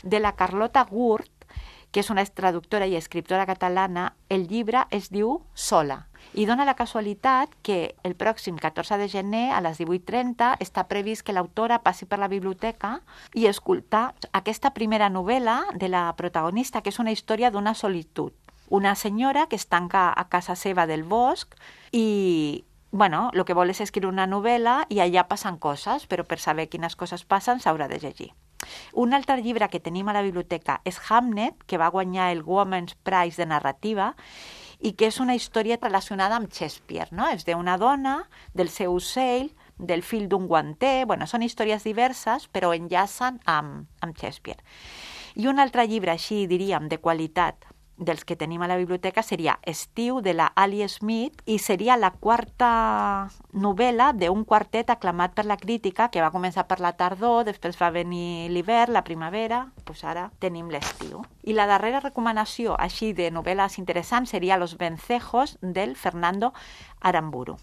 de la Carlota Gurt, que és una traductora i escriptora catalana. El llibre es diu Sola, i dona la casualitat que el pròxim 14 de gener a les 18:30 està previst que l'autora passi per la biblioteca i escoltar aquesta primera novel·la de la protagonista, que és una història d'una solitud. Una senyora que es tanca a casa seva del bosc i el que vol és escriure una novel·la i allà passen coses, però per saber quines coses passen s'haurà de llegir. Un altre llibre que tenim a la biblioteca és Hamnet, que va guanyar el Women's Prize de narrativa i que és una història relacionada amb Shakespeare, no? És d'una dona, del seu ocell, del fill d'un guanter. Són històries diverses, però enllacen amb Shakespeare. I un altre llibre, així diríem, de qualitat, dels que tenim a la biblioteca seria Estiu, de la Ali Smith, i seria la quarta novel·la d'un quartet aclamat per la crítica, que va començar per la tardor, després va venir l'hivern, la primavera, doncs ara tenim l'estiu. I la darrera recomanació, així de novel·les interessants, seria Los Vencejos, del Fernando Aramburu.